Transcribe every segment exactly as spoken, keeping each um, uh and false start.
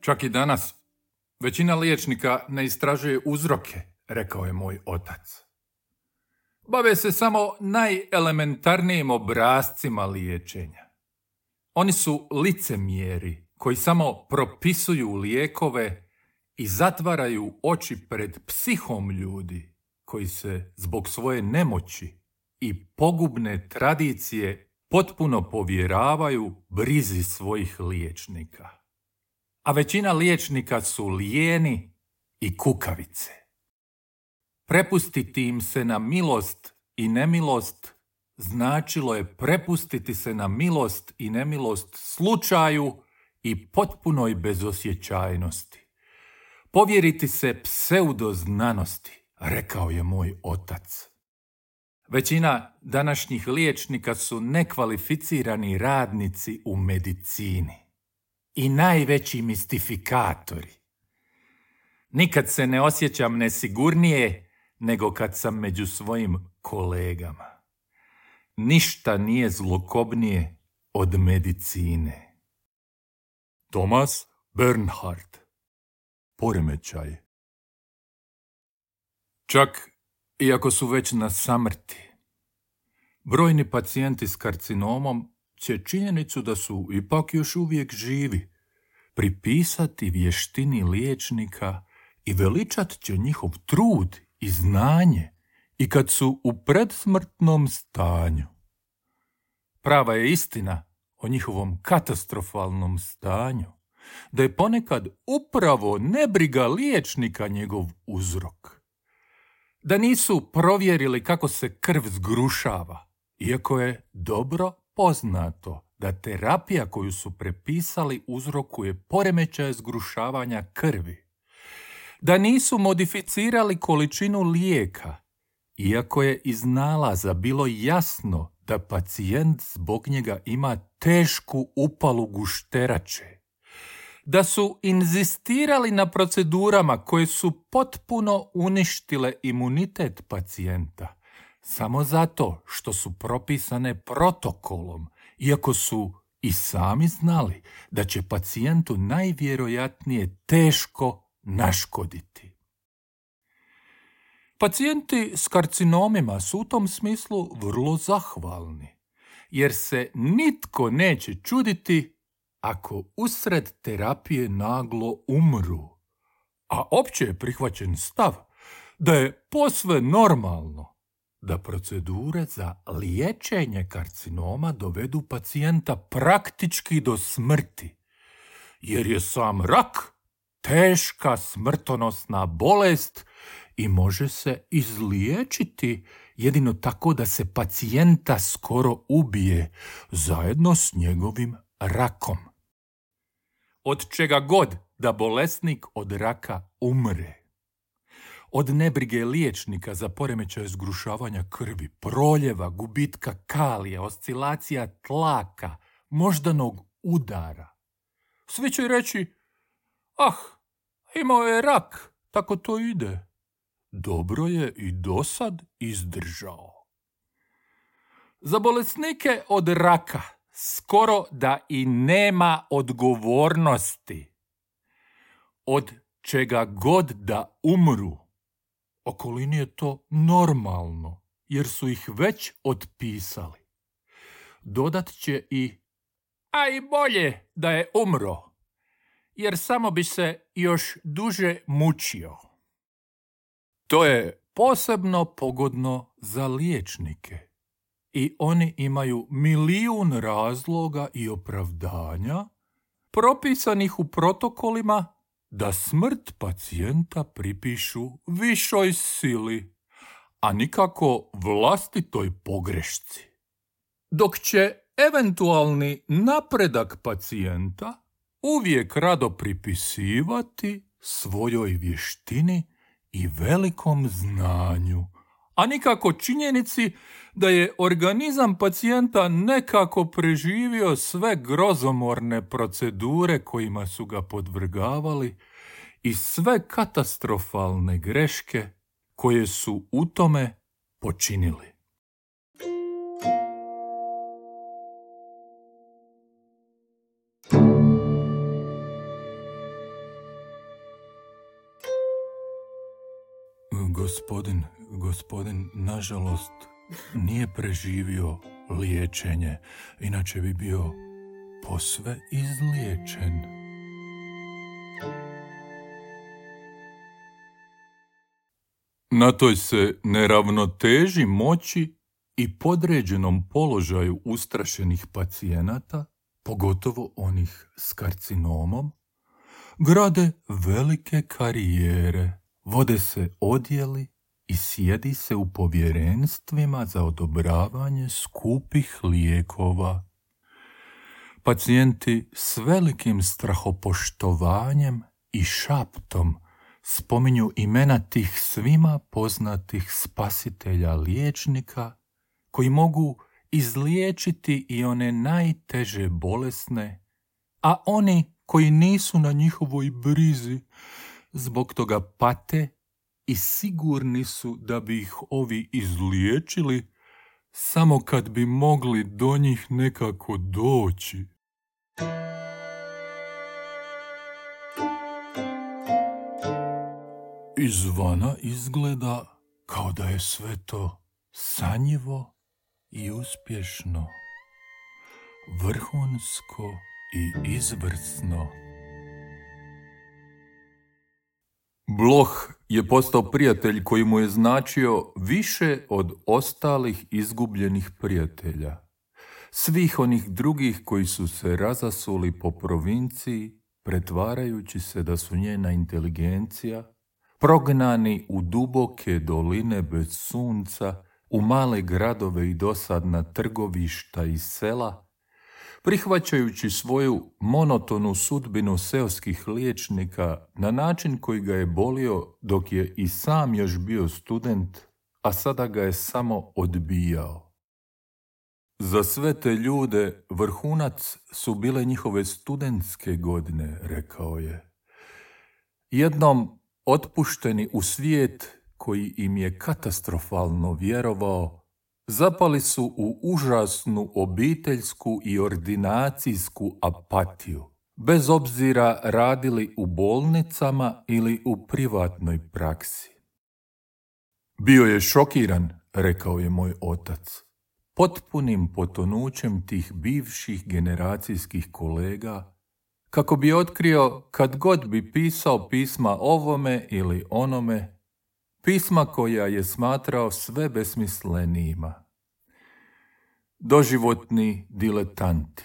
Čak i danas većina liječnika ne istražuje uzroke, rekao je moj otac. Bave se samo najelementarnijim obrascima liječenja. Oni su licemjeri koji samo propisuju lijekove i zatvaraju oči pred psihom ljudi koji se zbog svoje nemoći i pogubne tradicije potpuno povjeravaju brizi svojih liječnika. A većina liječnika su lijeni i kukavice. Prepustiti im se na milost i nemilost značilo je prepustiti se na milost i nemilost slučaju i potpunoj bezosjećajnosti. Povjeriti se pseudoznanosti, rekao je moj otac. Većina današnjih liječnika su nekvalificirani radnici u medicini i najveći mistifikatori. Nikad se ne osjećam nesigurnije nego kad sam među svojim kolegama. Ništa nije zlokobnije od medicine. Thomas Bernhard. Poremećaj. Čak iako su već na samrti, brojni pacijenti s karcinomom će činjenicu da su ipak još uvijek živi pripisati vještini liječnika i veličat će njihov trud i znanje i kad su u predsmrtnom stanju. Prava je istina o njihovom katastrofalnom stanju, da je ponekad upravo nebriga liječnika njegov uzrok. Da nisu provjerili kako se krv zgrušava, iako je dobro poznato da terapija koju su prepisali uzrokuje poremećaje zgrušavanja krvi. Da nisu modificirali količinu lijeka, iako je iz nalaza bilo jasno da pacijent zbog njega ima tešku upalu gušterače. Da su inzistirali na procedurama koje su potpuno uništile imunitet pacijenta, samo zato što su propisane protokolom, iako su i sami znali da će pacijentu najvjerojatnije teško naškoditi. Pacijenti s karcinomima su u tom smislu vrlo zahvalni, jer se nitko neće čuditi ako usred terapije naglo umru, a opće je prihvaćen stav da je posve normalno da procedure za liječenje karcinoma dovedu pacijenta praktički do smrti, jer je sam rak teška smrtonosna bolest i može se izliječiti jedino tako da se pacijenta skoro ubije zajedno s njegovim rakom. Od čega god da bolesnik od raka umre. Od nebrige liječnika za poremećaj zgrušavanja krvi, proljeva, gubitka kalija, oscilacija tlaka, moždanog udara. Svi će reći, ah, imao je rak, tako to ide. Dobro je i dosad izdržao. Za bolesnike od raka skoro da i nema odgovornosti. Od čega god da umru, okolini je to normalno, jer su ih već otpisali. Dodat će i, a i bolje da je umro, jer samo bi se još duže mučio. To je posebno pogodno za liječnike. I oni imaju milijun razloga i opravdanja propisanih u protokolima da smrt pacijenta pripišu višoj sili, a nikako vlastitoj pogrešci. Dok će eventualni napredak pacijenta uvijek rado pripisivati svojoj vještini i velikom znanju, a nikako činjenici da je organizam pacijenta nekako preživio sve grozomorne procedure kojima su ga podvrgavali i sve katastrofalne greške koje su u tome počinili. Gospodin, gospodin, nažalost, nije preživio liječenje, inače bi bio posve izliječen. Na toj se neravnoteži moći i podređenom položaju ustrašenih pacijenata, pogotovo onih s karcinomom, grade velike karijere, vode se odjeli i sjedi se u povjerenstvima za odobravanje skupih lijekova. Pacijenti s velikim strahopoštovanjem i šaptom spominju imena tih svima poznatih spasitelja liječnika koji mogu izliječiti i one najteže bolesne, a oni koji nisu na njihovoj brizi zbog toga pate i sigurni su da bi ih ovi izliječili samo kad bi mogli do njih nekako doći. Izvana izgleda kao da je sve to sanjivo i uspješno, vrhunsko i izvrsno. Bloh je postao prijatelj koji mu je značio više od ostalih izgubljenih prijatelja. Svih onih drugih koji su se razasuli po provinciji, pretvarajući se da su njena inteligencija, prognani u duboke doline bez sunca, u male gradove i dosadna trgovišta i sela, prihvaćajući svoju monotonu sudbinu seoskih liječnika na način koji ga je bolio dok je i sam još bio student, a sada ga je samo odbijao. Za sve te ljude vrhunac su bile njihove studentske godine, rekao je. Jednom otpušteni u svijet koji im je katastrofalno vjerovao, zapali su u užasnu obiteljsku i ordinacijsku apatiju, bez obzira radili u bolnicama ili u privatnoj praksi. Bio je šokiran, rekao je moj otac, potpunim potonućem tih bivših generacijskih kolega, kako bi otkrio kad god bi pisao pisma ovome ili onome, pisma koja je smatrao sve besmislenijima. Doživotni diletanti.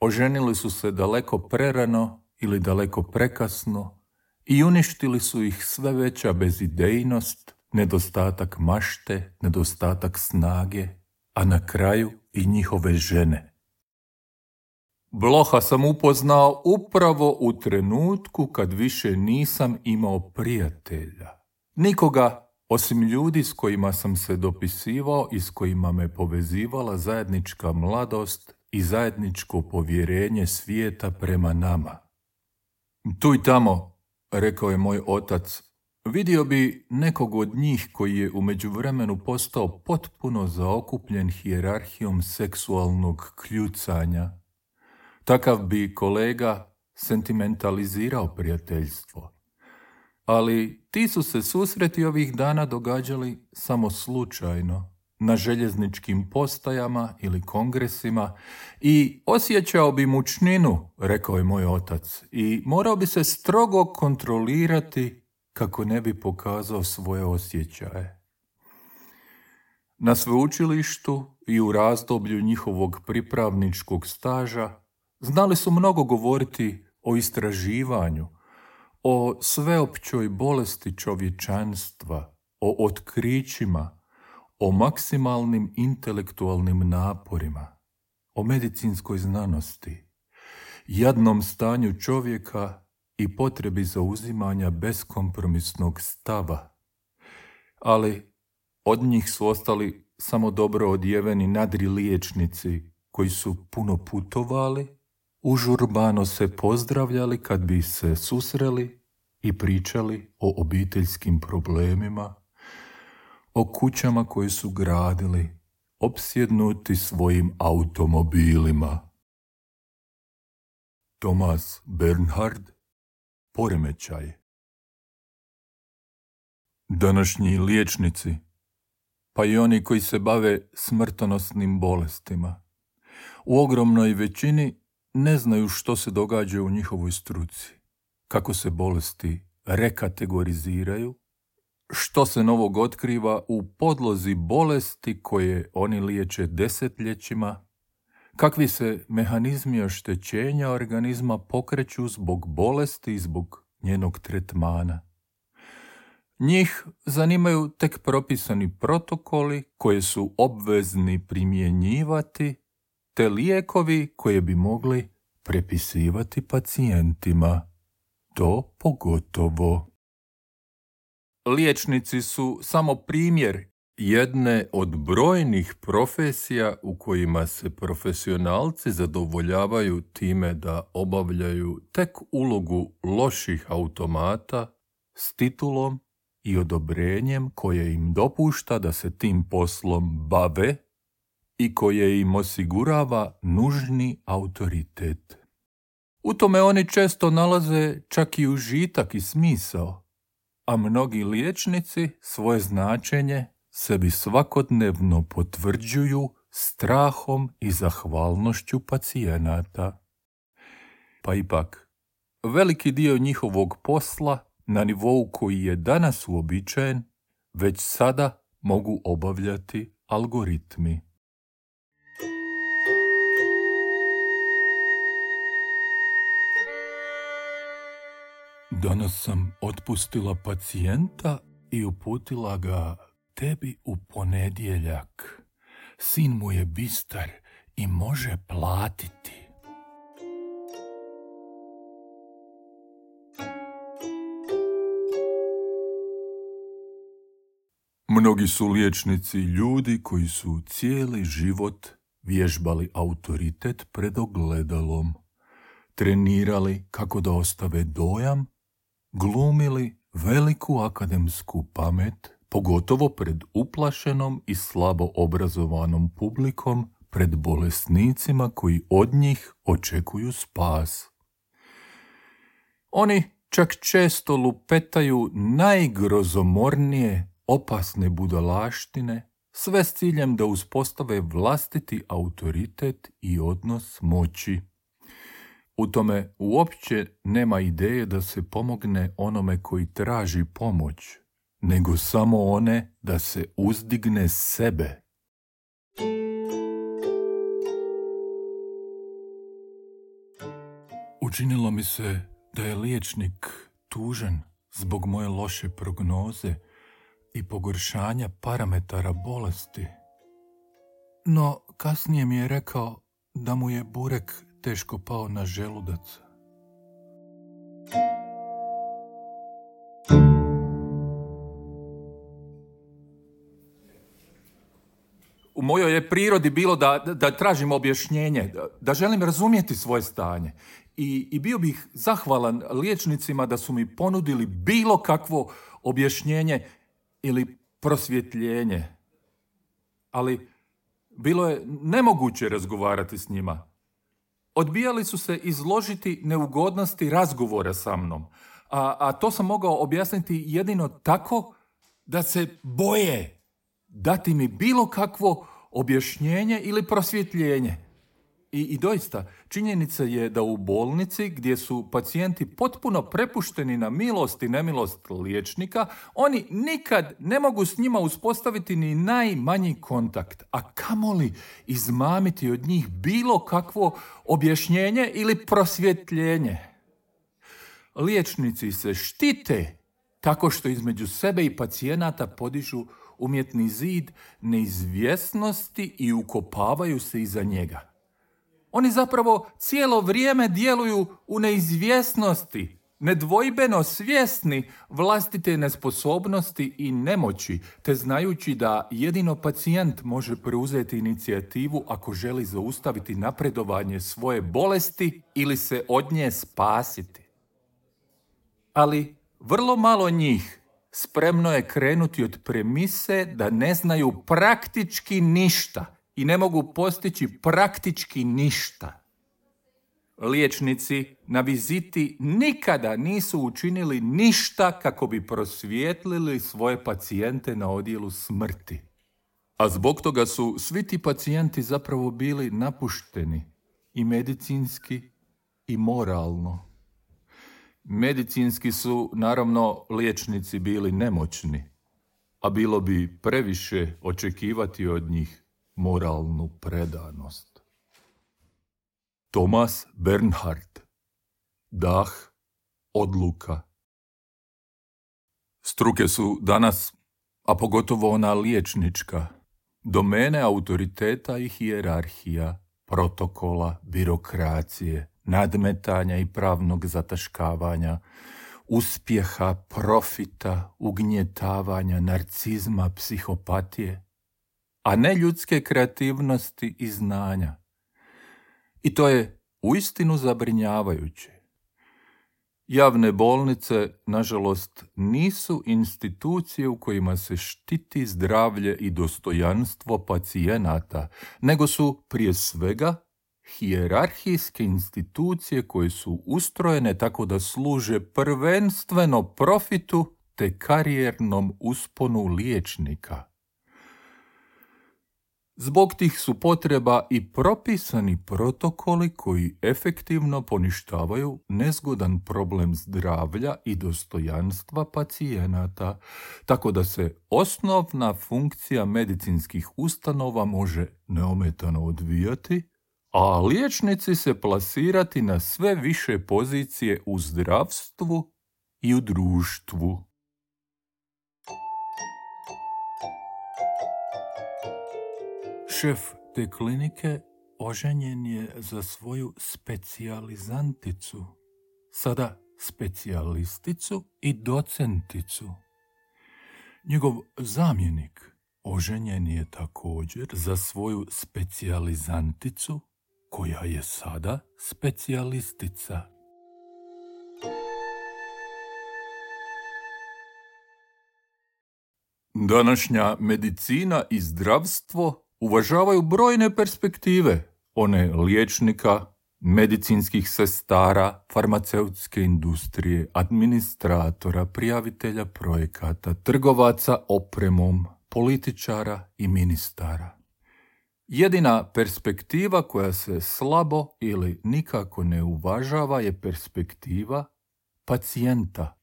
Oženili su se daleko prerano ili daleko prekasno i uništili su ih sve veća bezidejnost, nedostatak mašte, nedostatak snage, a na kraju i njihove žene. Bloha sam upoznao upravo u trenutku kad više nisam imao prijatelja. Nikoga, osim ljudi s kojima sam se dopisivao i s kojima me povezivala zajednička mladost i zajedničko povjerenje svijeta prema nama. Tu i tamo, rekao je moj otac, vidio bi nekog od njih koji je u međuvremenu postao potpuno zaokupljen hijerarhijom seksualnog kljucanja. Takav bi kolega sentimentalizirao prijateljstvo. Ali ti su se susreti ovih dana događali samo slučajno, na željezničkim postajama ili kongresima i osjećao bi mučninu, rekao je moj otac, i morao bi se strogo kontrolirati kako ne bi pokazao svoje osjećaje. Na sveučilištu i u razdoblju njihovog pripravničkog staža znali su mnogo govoriti o istraživanju, o sveopćoj bolesti čovječanstva, o otkrićima, o maksimalnim intelektualnim naporima, o medicinskoj znanosti, jadnom stanju čovjeka i potrebi zauzimanja beskompromisnog stava. Ali od njih su ostali samo dobro odjeveni nadri liječnici koji su puno putovali, užurbano se pozdravljali kad bi se susreli i pričali o obiteljskim problemima, o kućama koje su gradili, opsjednuti svojim automobilima. Thomas Bernhard, Poremećaj. Današnji liječnici, pa i oni koji se bave smrtonosnim bolestima, u ogromnoj većini ne znaju što se događa u njihovoj struci, kako se bolesti rekategoriziraju, što se novog otkriva u podlozi bolesti koje oni liječe desetljećima, kakvi se mehanizmi oštećenja organizma pokreću zbog bolesti i zbog njenog tretmana. Njih zanimaju tek propisani protokoli koje su obvezni primjenjivati, te lijekovi koje bi mogli prepisivati pacijentima. To pogotovo. Liječnici su samo primjer jedne od brojnih profesija u kojima se profesionalci zadovoljavaju time da obavljaju tek ulogu loših automata s titulom i odobrenjem koje im dopušta da se tim poslom bave i koje im osigurava nužni autoritet. U tome oni često nalaze čak i užitak i smisao, a mnogi liječnici svoje značenje sebi svakodnevno potvrđuju strahom i zahvalnošću pacijenata. Pa ipak, veliki dio njihovog posla na nivou koji je danas uobičajen, već sada mogu obavljati algoritmi. Danas sam otpustila pacijenta i uputila ga tebi u ponedjeljak. Sin mu je bistar i može platiti. Mnogi su liječnici ljudi koji su cijeli život vježbali autoritet pred ogledalom, trenirali kako da ostave dojam, glumili veliku akademsku pamet, pogotovo pred uplašenom i slabo obrazovanom publikom, pred bolesnicima koji od njih očekuju spas. Oni čak često lupetaju najgrozomornije, opasne budalaštine, sve s ciljem da uspostave vlastiti autoritet i odnos moći. U tome uopće nema ideje da se pomogne onome koji traži pomoć, nego samo one da se uzdigne sebe. Učinilo mi se da je liječnik tužan zbog moje loše prognoze i pogoršanja parametara bolesti. No, kasnije mi je rekao da mu je burek teško pao na želudac. U mojoj je prirodi bilo da, da tražim objašnjenje, da, da želim razumjeti svoje stanje. I, I bio bih zahvalan liječnicima da su mi ponudili bilo kakvo objašnjenje ili prosvjetljenje. Ali bilo je nemoguće razgovarati s njima. Odbijali su se izložiti neugodnosti razgovora sa mnom, a, a to sam mogao objasniti jedino tako da se boje dati mi bilo kakvo objašnjenje ili prosvjetljenje. I, I doista, činjenica je da u bolnici gdje su pacijenti potpuno prepušteni na milost i nemilost liječnika, oni nikad ne mogu s njima uspostaviti ni najmanji kontakt, a kamoli izmamiti od njih bilo kakvo objašnjenje ili prosvjetljenje. Liječnici se štite tako što između sebe i pacijenata podižu umjetni zid neizvjesnosti i ukopavaju se iza njega. Oni zapravo cijelo vrijeme djeluju u neizvjesnosti, nedvojbeno svjesni vlastite nesposobnosti i nemoći, te znajući da jedino pacijent može preuzeti inicijativu ako želi zaustaviti napredovanje svoje bolesti ili se od nje spasiti. Ali vrlo malo njih spremno je krenuti od premise da ne znaju praktički ništa i ne mogu postići praktički ništa. Liječnici na viziti nikada nisu učinili ništa kako bi prosvijetlili svoje pacijente na odjelu smrti. A zbog toga su svi ti pacijenti zapravo bili napušteni i medicinski i moralno. Medicinski su, naravno, liječnici bili nemoćni, a bilo bi previše očekivati od njih moralnu predanost. Thomas Bernhard. Dah, odluka. Struke su danas, a pogotovo ona liječnička, domene autoriteta i hijerarhija, protokola, birokracije, nadmetanja i pravnog zataškavanja, uspjeha, profita, ugnjetavanja, narcizma, psihopatije, a ne ljudske kreativnosti i znanja. I to je uistinu zabrinjavajuće. Javne bolnice, nažalost, nisu institucije u kojima se štiti zdravlje i dostojanstvo pacijenata, nego su prije svega hijerarhijske institucije koje su ustrojene tako da služe prvenstveno profitu te karijernom usponu liječnika. Zbog tih su potreba i propisani protokoli koji efektivno poništavaju nezgodan problem zdravlja i dostojanstva pacijenata, tako da se osnovna funkcija medicinskih ustanova može neometano odvijati, a liječnici se plasirati na sve više pozicije u zdravstvu i u društvu. Šef te klinike oženjen je za svoju specijalizanticu, sada specijalisticu i docenticu. Njegov zamjenik oženjen je također za svoju specijalizanticu, koja je sada specijalistica. Današnja medicina i zdravstvo uvažavaju brojne perspektive, one liječnika, medicinskih sestara, farmaceutske industrije, administratora, prijavitelja projekata, trgovaca opremom, političara i ministara. Jedina perspektiva koja se slabo ili nikako ne uvažava je perspektiva pacijenta.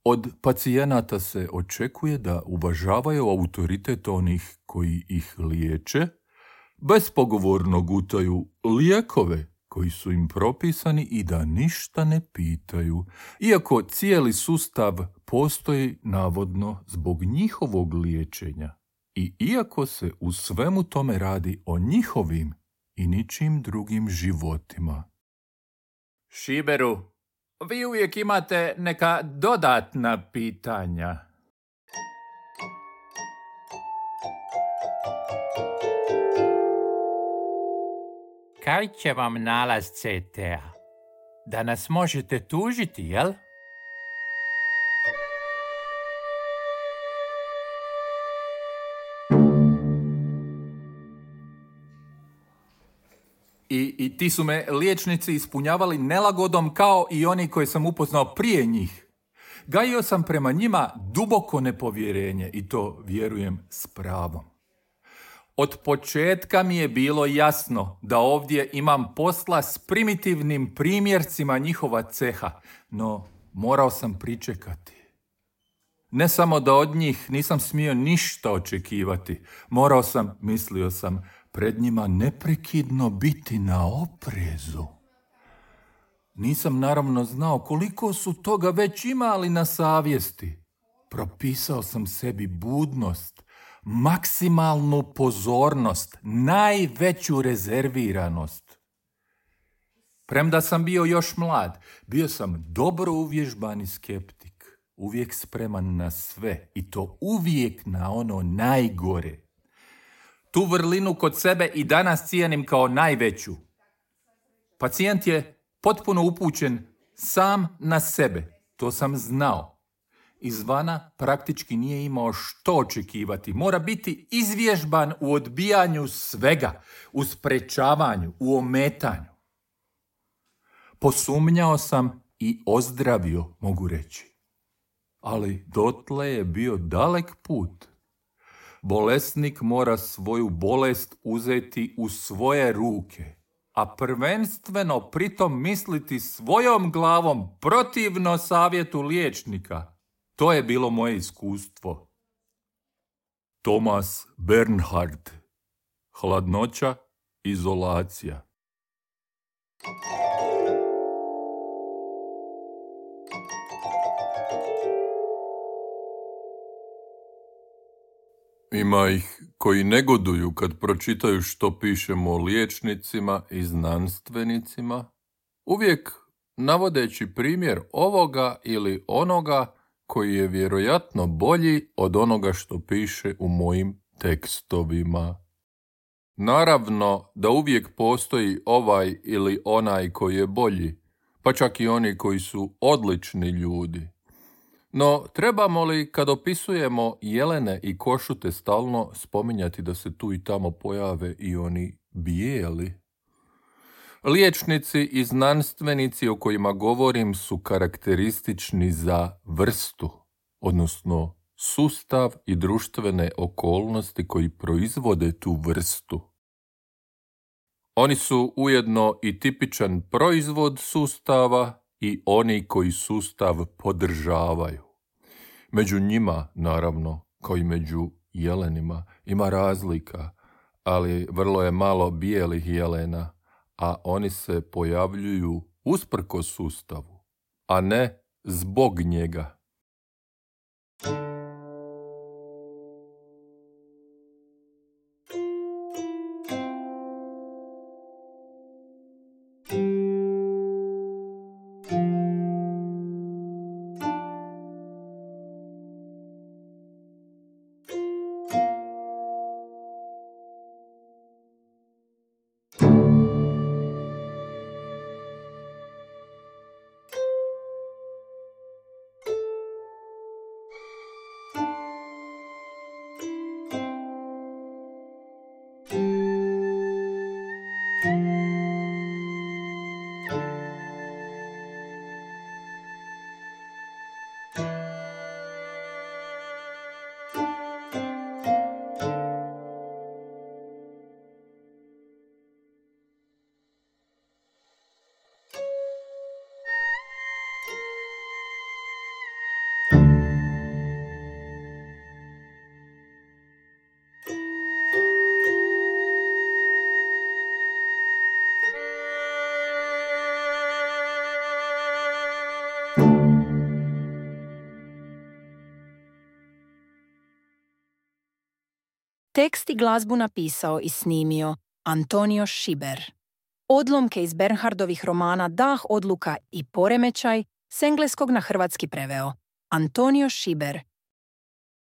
Od pacijenata se očekuje da uvažavaju autoritet onih koji ih liječe, bespogovorno gutaju lijekove koji su im propisani i da ništa ne pitaju, iako cijeli sustav postoji navodno zbog njihovog liječenja i iako se u svemu tome radi o njihovim i ničim drugim životima. Šiberu, vi uvijek imate neka dodatna pitanja. Kaj će vam nalaz C T A? Da nas možete tužiti, jel? I, I ti su me liječnici ispunjavali nelagodom kao i oni koje sam upoznao prije njih. Gajio sam prema njima duboko nepovjerenje i to vjerujem s pravom. Od početka mi je bilo jasno da ovdje imam posla s primitivnim primjercima njihova ceha, no morao sam pričekati. Ne samo da od njih nisam smio ništa očekivati, morao sam, mislio sam, pred njima neprekidno biti na oprezu. Nisam naravno znao koliko su toga već imali na savjesti. Propisao sam sebi budnost, maksimalnu pozornost, najveću rezerviranost. Premda sam bio još mlad, bio sam dobro uvježbani skeptik, uvijek spreman na sve i to uvijek na ono najgore. Tu vrlinu kod sebe i danas cijenim kao najveću. Pacijent je potpuno upućen sam na sebe, to sam znao. Izvana praktički nije imao što očekivati. Mora biti izvježban u odbijanju svega, u sprečavanju, u ometanju. Posumnjao sam i ozdravio, mogu reći. Ali dotle je bio dalek put. Bolesnik mora svoju bolest uzeti u svoje ruke, a prvenstveno pritom misliti svojom glavom protivno savjetu liječnika. To je bilo moje iskustvo. Thomas Bernhard. Hladnoća, izolacija. Ima ih koji negoduju kad pročitaju što pišemo o liječnicima i znanstvenicima, uvijek navodeći primjer ovoga ili onoga koji je vjerojatno bolji od onoga što piše u mojim tekstovima. Naravno da uvijek postoji ovaj ili onaj koji je bolji, pa čak i oni koji su odlični ljudi. No, trebamo li kad opisujemo jelene i košute stalno spominjati da se tu i tamo pojave i oni bijeli? Liječnici i znanstvenici o kojima govorim su karakteristični za vrstu, odnosno sustav i društvene okolnosti koji proizvode tu vrstu. Oni su ujedno i tipičan proizvod sustava i oni koji sustav podržavaju. Među njima, naravno, kao i među jelenima, ima razlika, ali vrlo je malo bijelih jelena, a oni se pojavljuju usprkos sustavu, a ne zbog njega. Tekst i glazbu napisao i snimio Antonio Šiber. Odlomke iz Bernhardovih romana Dah, odluka i poremećaj s engleskog na hrvatski preveo Antonio Šiber